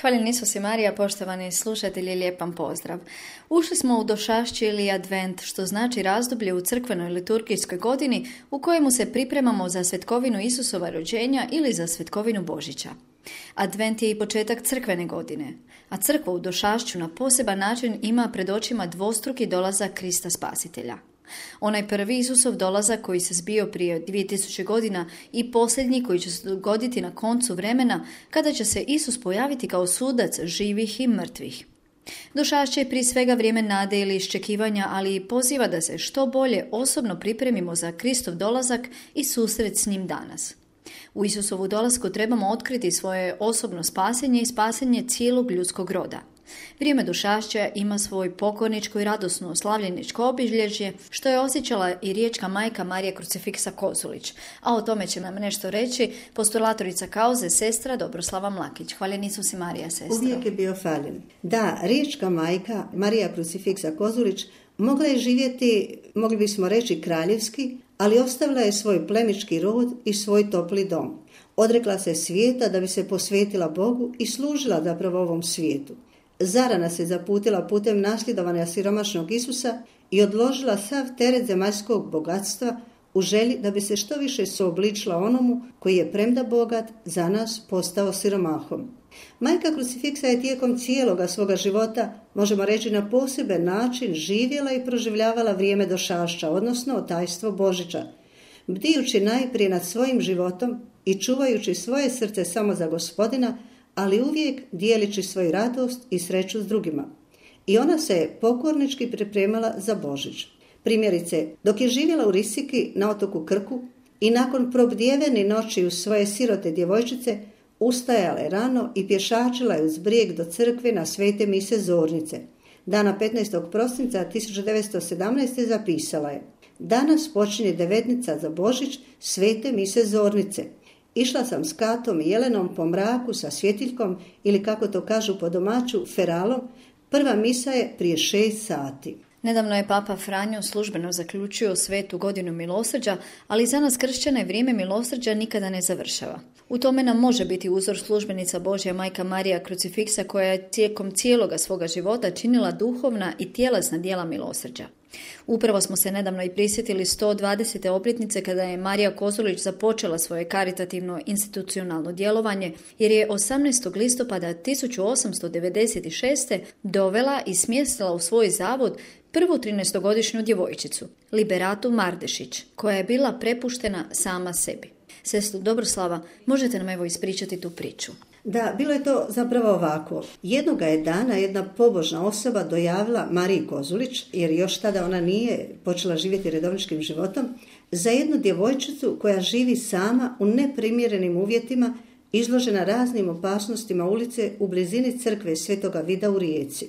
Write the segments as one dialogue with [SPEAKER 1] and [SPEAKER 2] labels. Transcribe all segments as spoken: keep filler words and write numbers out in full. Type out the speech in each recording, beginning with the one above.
[SPEAKER 1] Hvaljen Isus i Marija, poštovani slušatelji, lijep vam pozdrav. Ušli smo u došašće ili advent, što znači razdoblje u crkvenoj liturgijskoj godini u kojemu se pripremamo za svetkovinu Isusova rođenja ili za svetkovinu Božića. Advent je i početak crkvene godine, a crkva u došašću na poseban način ima pred očima dvostruki dolazak Krista Spasitelja. Onaj prvi Isusov dolazak koji se zbio prije dvije tisuće godina i posljednji koji će se dogoditi na koncu vremena kada će se Isus pojaviti kao sudac živih i mrtvih. Došašće je prije svega vrijeme nade ili iščekivanja, ali i poziva da se što bolje osobno pripremimo za Kristov dolazak i susret s njim danas. U Isusovu dolasku trebamo otkriti svoje osobno spasenje i spasenje cijelog ljudskog roda. Vrijeme došašća ima svoj pokorničko i radosno oslavljeničko obilježje, što je osjećala i riječka majka Marija Krucifiksa Kozulić, a o tome će nam nešto reći postulatorica kauze, sestra Dobroslava Mlakić. Hvaljen Isus i Marija, sestra.
[SPEAKER 2] Uvijek je bio faljen. Da, riječka majka Marija Krucifiksa Kozulić mogla je živjeti, mogli bismo reći, kraljevski, ali ostavila je svoj plemički rod i svoj topli dom. Odrekla se svijeta da bi se posvetila Bogu i služila zapravo ovom svijetu. Zarana se zaputila putem nasljedovanja siromašnog Isusa i odložila sav teret zemaljskog bogatstva u želji da bi se što više suobličila onomu koji je premda bogat za nas postao siromahom. Majka Krucifiksa je tijekom cijeloga svoga života, možemo reći, na poseban način živjela i proživljavala vrijeme došašća, odnosno tajstvo Božića, bdijući najprije nad svojim životom i čuvajući svoje srce samo za Gospodina, ali uvijek dijelići svoju radost i sreću s drugima. I ona se pokornički pripremala za Božić. Primjerice, dok je živjela u Risiki na otoku Krku i nakon probdjevene noći u svoje sirote djevojčice, ustajala je rano i pješačila je uz brijeg do crkve na svete mise Zornice. Dana petnaestog prosinca tisuću devetsto sedamnaeste. zapisala je: danas počinje devetnica za Božić svete mise Zornice. Išla sam s Katom i Jelenom po mraku sa svjetiljkom ili, kako to kažu po domaću, feralom. Prva misa je prije šest sati.
[SPEAKER 1] Nedavno je Papa Franjo službeno zaključio svetu godinu milosrđa, ali za nas kršćane vrijeme milosrđa nikada ne završava. U tome nam može biti uzor službenica Božja majka Marija Krucifiksa, koja je tijekom cijeloga svoga života činila duhovna i tjelesna djela milosrđa. Upravo smo se nedavno i prisjetili sto dvadesete obljetnice kada je Marija Kozulić započela svoje karitativno institucionalno djelovanje, jer je osamnaestog listopada tisuću osamsto devedeset šeste. dovela i smjestila u svoj zavod prvu trinaestogodišnju djevojčicu, Liberatu Mardešić, koja je bila prepuštena sama sebi. Sestru Dobroslava, možete nam evo ispričati tu priču?
[SPEAKER 2] Da, bilo je to zapravo ovako. Jednoga je dana jedna pobožna osoba dojavila Mariji Kozulić, jer još tada ona nije počela živjeti redovničkim životom, za jednu djevojčicu koja živi sama u neprimjerenim uvjetima, izložena raznim opasnostima ulice u blizini crkve Svetoga Vida u Rijeci.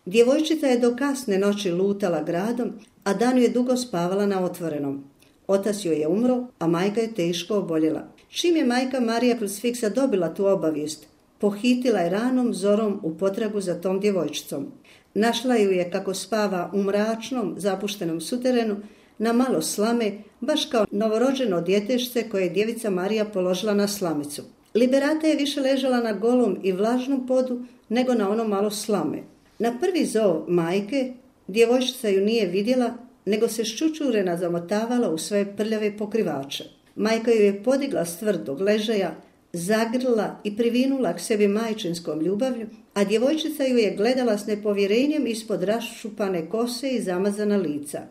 [SPEAKER 2] Djevojčica je do kasne noći lutala gradom, a danju je dugo spavala na otvorenom. Otac joj je umro, a majka je teško oboljela. Čim je majka Marija Krucifiksa dobila tu obavijest, pohitila je ranom zorom u potragu za tom djevojčicom. Našla ju je kako spava u mračnom, zapuštenom suterenu, na malo slame, baš kao novorođeno djetešce koje je djevica Marija položila na slamicu. Liberata je više ležala na golom i vlažnom podu nego na ono malo slame. Na prvi zov majke djevojčica ju nije vidjela, nego se ščučurena zamotavala u svoje prljave pokrivače. Majka ju je podigla s tvrdog ležaja, zagrlila i privinula k sebi majčinskom ljubavlju, a djevojčica ju je gledala s nepovjerenjem ispod raščupane kose i zamazana lica.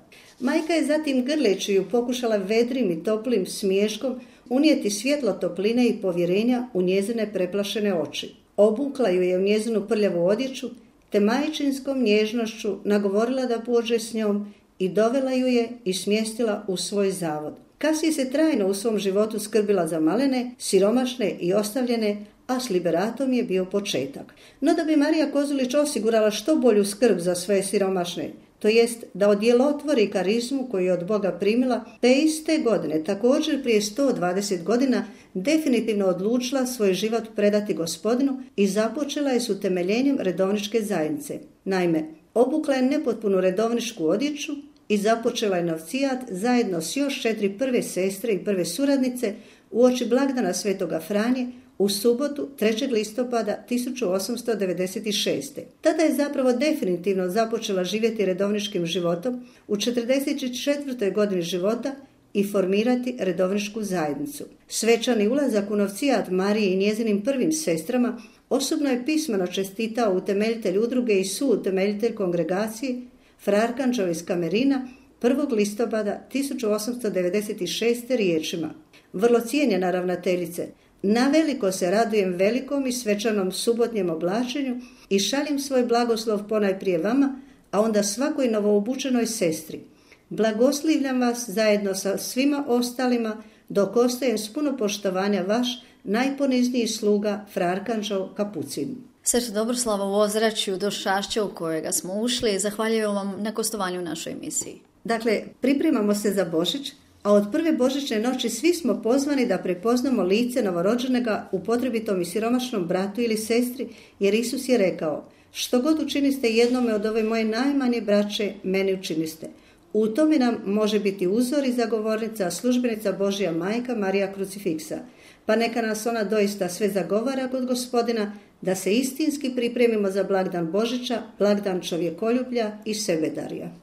[SPEAKER 2] Majka je zatim, grleći ju, pokušala vedrim i toplim smiješkom unijeti svjetlo topline i povjerenja u njezine preplašene oči. Obukla ju je u njezinu prljavu odjeću, te majčinskom nježnošću nagovorila da pođe s njom i dovela ju je i smjestila u svoj zavod. Kasnije se trajno u svom životu skrbila za malene, siromašne i ostavljene, a s Liberatom je bio početak. No da bi Marija Kozulić osigurala što bolju skrb za svoje siromašne, to jest da odjelotvori karizmu koju je od Boga primila, te iste godine, također prije sto dvadeset godina, definitivno odlučila svoj život predati Gospodinu i započela je s utemeljenjem redovničke zajednice. Naime, obukla je nepotpunu redovničku odjeću i započela je novcijat zajedno s još četiri prve sestre i prve suradnice uoči blagdana Svetoga Franje u subotu trećeg listopada tisuću osamsto devedeset šeste. Tada je zapravo definitivno započela živjeti redovničkim životom u četrdeset četvrtoj godini života i formirati redovničku zajednicu. Svečani ulazak u novcijat Mariji i njezinim prvim sestrama osobno je pismeno čestitao utemeljitelj udruge i suutemeljitelj kongregacije fra Arkanđeo iz Kamerina prvog listopada tisuću osamsto devedeset šeste riječima: vrlo cijenjena ravnateljice, naveliko se radujem velikom i svečanom subotnjem oblačenju i šaljem svoj blagoslov ponajprije vama, a onda svakoj novoobučenoj sestri. Blagoslivljam vas zajedno sa svima ostalima, dok ostajem s puno poštovanja vaš najponizniji sluga fra Arkanđeo Kapucin.
[SPEAKER 1] Sestra Dobroslava, u ozračju Došašća u kojega smo ušli, zahvaljujem vam na gostovanju u našoj emisiji.
[SPEAKER 2] Dakle, pripremamo se za Božić, a od prve božićne noći svi smo pozvani da prepoznamo lice novorođenega u potrebitom i siromašnom bratu ili sestri, jer Isus je rekao: što god učiniste jednome od ove moje najmanje braće, meni učiniste. U tome nam može biti uzor i zagovornica, službenica Božja majka Marija Krucifiksa. Pa neka nas ona doista sve zagovara kod Gospodina, da se istinski pripremimo za blagdan Božića, blagdan čovjekoljublja i sebedarja.